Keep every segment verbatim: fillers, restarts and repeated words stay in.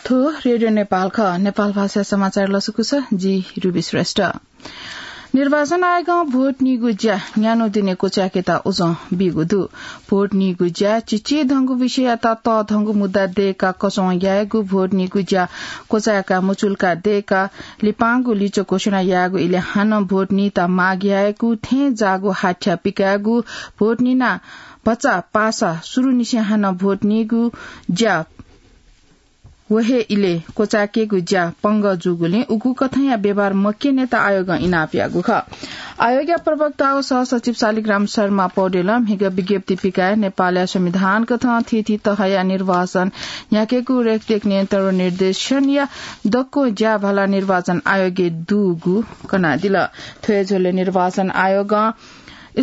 थ्व रेडियो नेपाल खः। नेपाल भाषा समाचार लसकुस, जि रुबी श्रेष्ठ। निर्वाचन आयोगं भोट नीगु ज्या न्यान्हु दिने क्वचाय्केत उजं बीगु दु। भोट नीगु ज्या चिचिधंगु विषययात तःधंगु मुद्दा दय्काः कचं यायेगु, भोट नीगु ज्या क्वचाय्काः मुचुल्का दय्काः लिपांगु लिच्वः घोषणा यायेगु इलय् हानं भोट नीत माग यायेगु, थें जाःगु हाथ्या पिकायेगु, भोट निना भचा पासा सुरुनिसें हानं भोट नीगु ज्या व हे इलय् क्वचाय्केगु ज्या पंगः जूगुलिं उगु कथंया व्यवहार मक्यनेत आयोगं इनाप याःगु खः। आयोगया प्रवक्ता व सहसचिव शालिग्राम शर्मा पौडेलं म्हिगः विज्ञप्ति पिकाय् नेपालया संविधान कथं थीथी तहया निर्वाचन न्ह्याकेगु रेखदेख नियन्त्रण व निर्देशनया दक्व ज्याभाला निर्वाचन आयोगय् दुगु कनादिल। थ्व हे झ्वलय् निर्वाचन आयोगं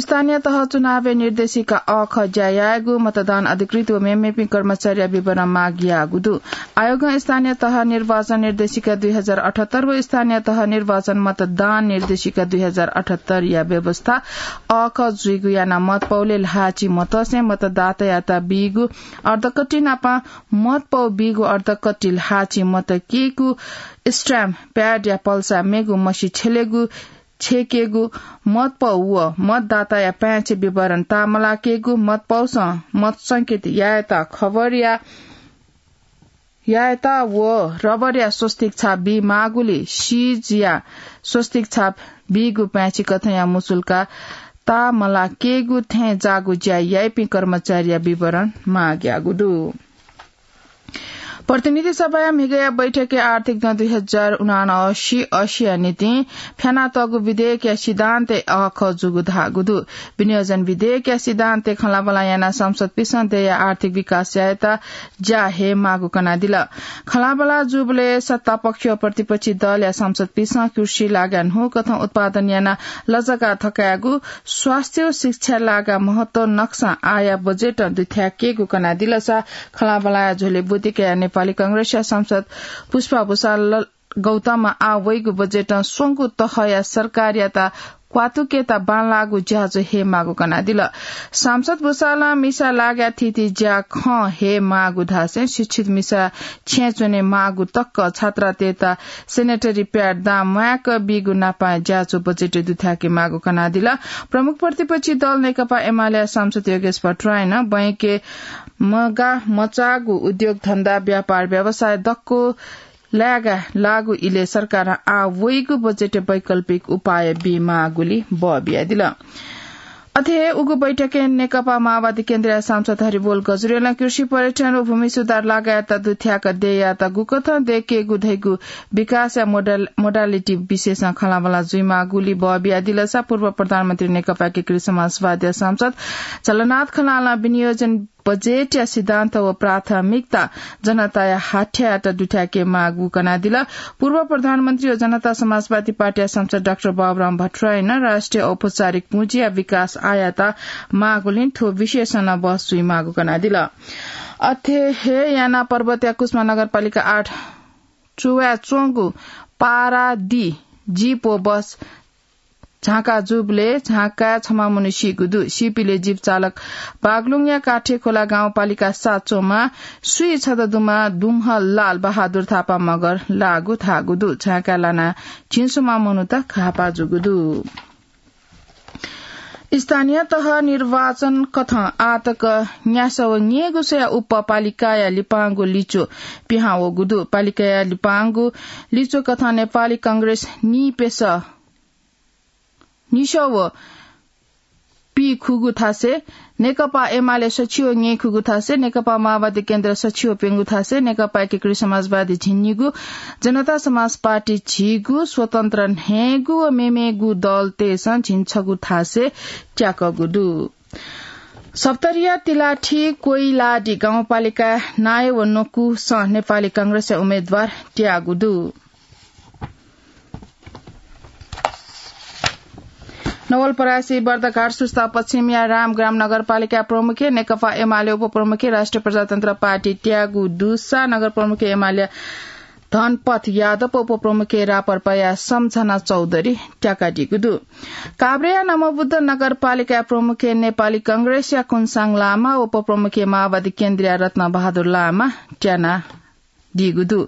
स्थानीय तह चुनावय् निर्देशिका अ ख ज्या यायेगु, मतदान अधिकृत व मेमेपिं कर्मचारीया विवरण माग याःगु दु। आयोगं स्थानीय तह निर्वाचन निर्देशिका दुई हजार अठहत्तर व स्थानीय तह निर्वाचन मतदान निर्देशिका दुई हजार अठहत्तर या व्यवस्था अ ख जुइगु यानाः मतपौलय् ल्हाःचि मतसे मतदातायात बीगु अर्धकट्टि नाप मतपौ बीगु अर्धकट्टि ल्हाःचि मत केगु, stamp pad या पल्सा मेगु मसि छ्यलेगु, छेकेगु, मतपौ व मतदाताया पाय्छि विवरण ताःमलाकेगु, मतपौसं मत संकेत यायेत खबर या, यायेत व रबरया स्वस्तिक छाप बी माःगुलिं सिजया स्वस्तिक छाप बीगु पाय्छि कथंया मुचुल्का ताःमलाकेगु, थें जाःगु ज्या याइपिं कर्मचारीया विवरण माग याःगु दु। प्रतिनिधि सभाया म्हिगःया बैठकय् आर्थिक दँ दुई हजार उनासी असी या निंतिं फ्यानातःगु विधेयकया सिद्धान्तय् अःखः जूगु धाःगु दु। विनियोजन विधेयकया सिद्धान्तय् खँल्हाबल्हा यानाः सांसदपिन्सं देय्‌या आर्थिक विकास यायेत ज्या हयेमाःगु कनादिल। खँल्हाबल्हा जूबलय् सत्तापक्ष व प्रतिपक्षी दलया सांसदपिन्सं कृषि लागाय् न्हूकथं उत्पादन यानाः लजगाः थकायेगु, स्वास्थ्य व शिक्षा लागाय् महत्व नकसां आःया बजेटं दुथ्याकेगु कनादिलसा खँल्हाबल्हाया झ्वलय् ब्वति कयाः नेपाली कांग्रेसया सांसद पुष्पा भुसाल गौतमं आः वइगु बजेटं स्वंगू तहया सरकारयात क्वातुकेत बांलाःगु ज्याझ्वः हयेमाःगु कनादिल। सांसद भुसालं मिसा लागाय् थीथी ज्याखँ हयेमाःगु धासें शिक्षित मिसा छेँय् च्वनेमाःगु तक, छात्रातय्‌त sanitary pad दां म्वायेक बीगु नापं ज्याझ्वः बजेटय् दुथ्याकेमाःगु कनादिल। प्रमुख प्रतिपक्षी दल नेकपा एमालेया सांसद योगेश भट्टराईं बैंकय् मगाः मचाःगु उद्योग धन्दा, व्यापार व्यवसाय दक्व लायेगाः लाःगु इलय् सरकारं आः वइगु बजेटय् वैकल्पिक उपाय बीमाःगुलि बः बियादिल। अथे हे उगु बैठकय् नेकपा माओवादी केन्द्रया सांसद हरिबोल गजुरेलं कृषि पर्यटन व भूमि सुधार लागाय्‌त दुथ्याक देय्‌यात गुकथं दय्‌केगु धइगु विकासया modal-, modality विषयसं खँल्हाबल्हा जुइमाःगुलि बः बियादिलसा पूर्व प्रधानमन्त्री नेकपा एकीकृत समाजवादीया सांसद झलनाथ खनालं विनियोजन बजेटया सिद्धान्त व प्राथमिकता जनताया हाथ्यायात दुथ्याकेमाःगु कनादिल। पूर्व प्रधानमन्त्री व जनता समाजवादी पार्टीया सांसद डाक्टर बाबुराम भट्टराईनं राष्ट्रिय औपचारिक पुँजीया विकास आःयात माःगुलिं थ्व विषयसं नं बहस जुइमाःगु कनादिल। अथे हे यानाः पर्वतया कुसुमा नगरपालिका आठ चुवाय् च्वंगु पारादी जीप व बस झांका जूबलय् झांकाय् छम्ह मनू सीगु दु। सीपिले जीप चालक बागलुङया काठेखोला गाउँपालिका सात च्वंम्ह स्वीछदँ दुम्ह दुम्ह लाल बहादुर थापा मगर लाःगु धाःगु दु। झांकाय् लानाः झिंस्वम्ह मनूत घाःपाः जूगु दु। स्थानीय तह निर्वाचन कथं आःतक न्यासः व न्यय्‌गू स्वया उप्पः पालिकाया लिपांगु लिच्वः पिहां वःगु दु। पालिकाया लिपांगु लिच्वः कथं नेपाली कांग्रेस निइप्यसः निसः व पीखुगु थासय्, नेकपा एमाले सछि व न्यय्‌खुगु थासय्, नेकपा माओवादी केन्द्र सछि व प्यंगू थासय्, नेकपा एकीकृत समाजवादी झिंनिगू, जनता समाज पार्टी झिगू, स्वतन्त्र न्हय्‌गू व मेमेगू दलतय्‌सं झिंछगू थासय् त्याकःगु दु। सप्तरीया तिलाठी कोइलाडी गाउँपालिका नायः व नकुसं नेपाली कांग्रेसया उम्मेदवार त्याःगु दु। नवलपरासी बर्दघाट सुस्ता पश्चिमया रामग्राम नगरपालिका प्रमुखे नेकपा एमाले उपप्रमुखे राष्ट्रिय प्रजातन्त्र पार्टी त्याःगु दुसा नगर प्रमुखे एमाले धनपथ यादव उपप्रमुखे रापरपाया सम्झना चौधरी त्याकादीगु दु। काभ्रेया नमोबुद्ध नगरपालिका प्रमुखे नेपाली कांग्रेसया कुनसाङ लामा, उपप्रमुखे माओवादी केन्द्रया रत्न बहादुर लामा त्याना दीगु दु।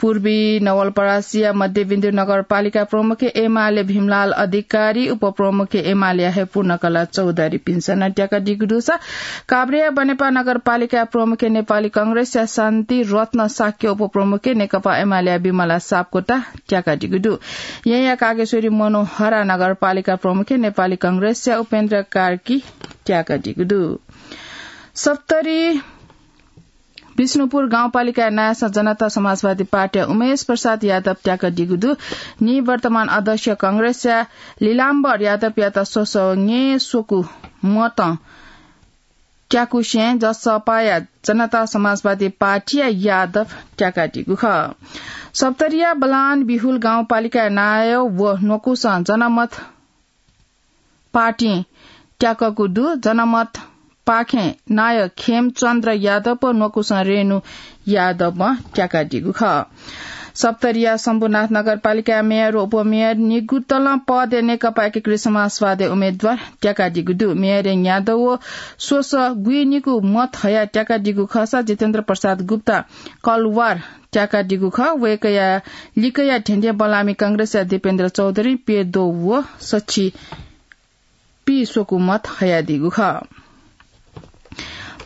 पूर्वी नवलपरासीया मध्यविन्दु नगरपालिका प्रमुख एमाले भीमलाल अधिकारी, उपप्रमुख एमालेया हे पूर्णकला चौधरीपिन्सं नं त्याकादीगु दुसा काभ्रेया बनेपा नगरपालिका प्रमुख नेपाली कांग्रेसया शान्ति रत्न शाक्य, उपप्रमुख नेकपा एमालेया विमला सापकोटा त्याकादीगु दु। येँया कागेश्वरी मनोहरा नगरपालिका प्रमुख नेपाली कांग्रेसया उपेन्द्र कार्की त्याकादीगु दु। सप्तरी विष्णुपुर गाउँपालिकाया नायःसं जनता समाजवादी पार्टीया उमेश प्रसाद यादव त्याकादीगु दु। निवर्तमान अध्यक्ष कांग्रेसया लीलाम्बर यादवयात स्वसः न्येस्वकू मतं त्याकुसें जसपाया जनता समाजवादी पार्टीया यादव त्याकादीगु खः। सप्तरीया बलान बिहुल गाउँपालिकाया नायः व न्वकुसं जनमत पार्टीं त्याकःगु दु। जनमत पाखें नायः खेमचन्द्र यादव व न्वकुसं रेणु यादवं त्याकादीगु खः। सप्तरीया शम्भुनाथ नगरपालिकाया मेयर व उपमेयर निगुतलं पदय् नेकपा एकीकृत समाजवादी उम्मेद्वार त्याकादीगु दु। मेयर यादव व स्वसः गुइनिकू मत हयाः त्याकादीगु खःसा जितेन्द्र प्रसाद गुप्ता कलवार त्याकादीगु खः। वय्कःया लिकया धेंधें बलामि कांग्रेसया दीपेन्द्र चौधरी प्यद्वः व सछि पीस्वकू मत हयादीगु खः।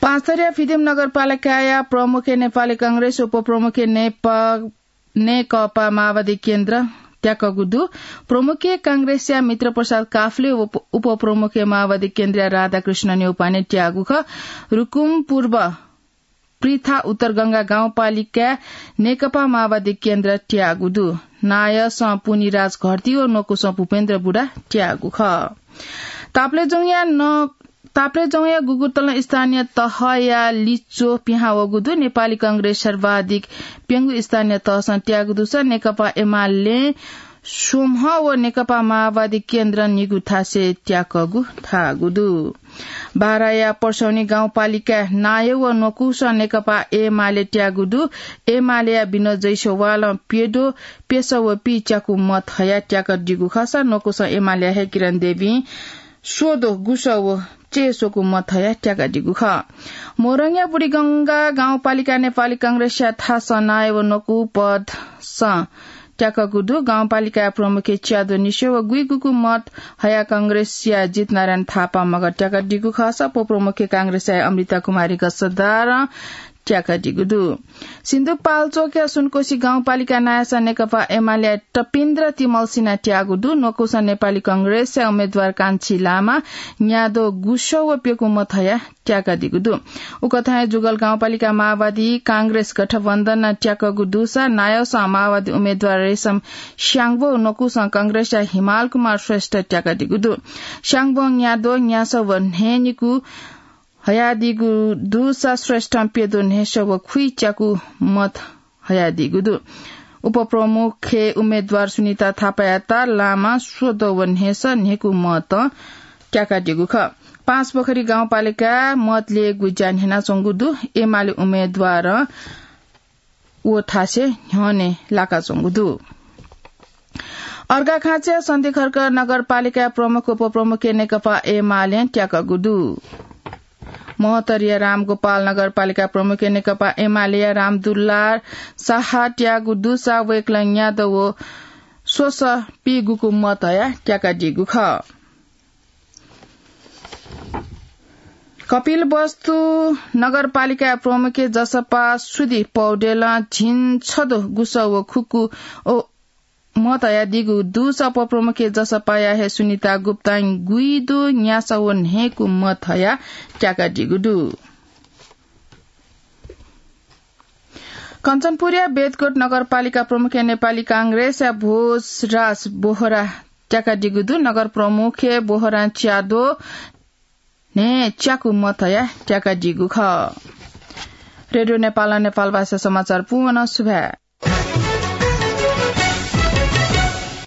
पाँचथरया फिदिम नगरपालिकाया प्रमुख नेपाली कांग्रेस, उपप्रमुख नेप-, नेकपा माओवादी केन्द्र त्याकःगु दु। प्रमुख कांग्रेसया मित्र प्रसाद काफ्ले, उप-, उपप्रमुख माओवादी केन्द्रया राधाकृष्ण न्यौपाने त्याःगु खः। रुकुम पूर्व पृथा उत्तरगंगा गाउँपालिकाय् नेकपा माओवादी केन्द्र त्याःगु दु। नायःसं पुनिराज घरती व न्वकुसं भूपेन्द्र बुढा त्याःगु खः। ताप्लेजुङया न-, ताप्लेजुङया गुगुतलं स्थानीय तहया लिच्वः पिहां वःगु दु। नेपाली कांग्रेस सर्वाधिक प्यंगू स्थानीय तहसं त्याःगु दुसा नेकपा एमालें स्वम्ह व नेकपा माओवादी केन्द्रं निगू थासय् त्याकःगु धाःगु दु। बाराया पर्सौनी गाउँपालिकाय् नायः व न्वकुसं नेकपा एमाले त्याःगु दु। एमालेया विनोद जैसवालं प्यद्वः प्यसः व पीच्याकू मत हयाः त्याकादीगु खःसा न्वकुसं एमालेया हे किरण देवीं स्वद्वः गुसः व चय्स्वकू मत हयाः त्याकादीगु खः। मोरङया बुढीगंगा गाउँपालिकाय् नेपाली कांग्रेसया थासं नायः व न्वकू पदसं त्याकःगु दु। गाउँपालिकाया प्रमुख च्याद्वः निस्वः व गुइगुकू मत हयाः कांग्रेसया जितनारायण थापां मगर त्याकादीगु खःसा उपप्रमुख कांग्रेसया अमृता कुमारी गजदारं त्याकादीगु दु। सिन्धुपाल्चोकया सुनकोशी गाउँपालिका नायःसं नेकपा एमालेया टपिन्द्र तिमल्सिना त्याःगु दु। न्वकुसं नेपाली कांग्रेसया उम्मेद्वार कान्छी लामा न्याद्वः गुसः व प्यकू मत हयाः त्याकादीगु दु। उकथं हे जुगल गाउँपालिका माओवादी कांग्रेस गठबन्धनं त्याकःगु दुसा नायःसं माओवादी उम्मेद्वार रेशम स्याङ्बो, न्वकुसं कांग्रेसया हिमाल कुमार श्रेष्ठ त्याकादीगु दु। स्याङ्बों न्याद्वः न्यासः व न्हय्निकू हयादीगु दुसा श्रेष्ठं प्यद्वः न्हय्सः व खुइच्याकू मत हयादीगु दु। उपप्रमुख उम्मेद्वार सुनिता थापायात लामा स्वद्वः व न्हय्सः न्हय्कू मतं त्याकादीगु खः। पाँचपोखरी गाउँपालिकां मत ल्ययेगु ज्या न्ह्यानाच्वंगु दु। एमाले उम्मेद्वारं व थासय् न्ह्यःने लाकाच्वंगु दु। अर्घाखाँचया सन्धिखर्क नगरपालिकाया प्रमुख उपप्रमुख नेकपा एमालें त्याकःगु दु। महोत्तरीया रामगोपाल नगरपालिका प्रमुख नेकपा एमालेया रामदुलार साहा त्याःगु दुसा वय्कलं न्याद्वः व स्वसः पीगुकू मत हयाः त्याकादीगु खः। कपिलवस्तु नगरपालिका प्रमुख जसपा सुधि पौडेलं झिंछद्वः गुसः व खुकू मत हयादीगु दुसा उपप्रमुख जसपाया हे सुनिता गुप्तां गुइद्वः न्यासः व न्हय्कू मत हयाः त्याकादीगु दु। कञ्चनपुरया बेदकोट नगरपालिका प्रमुख नेपाली कांग्रेसया भोजराज बोहरा त्याकादीगु दु। नगर प्रमुख बोहरां च्याद्वः न्हय्च्याकू मत हयाः त्याकादीगु खः। रेडियो नेपालं नेपालभाषा समाचार पूवं सुभाय्।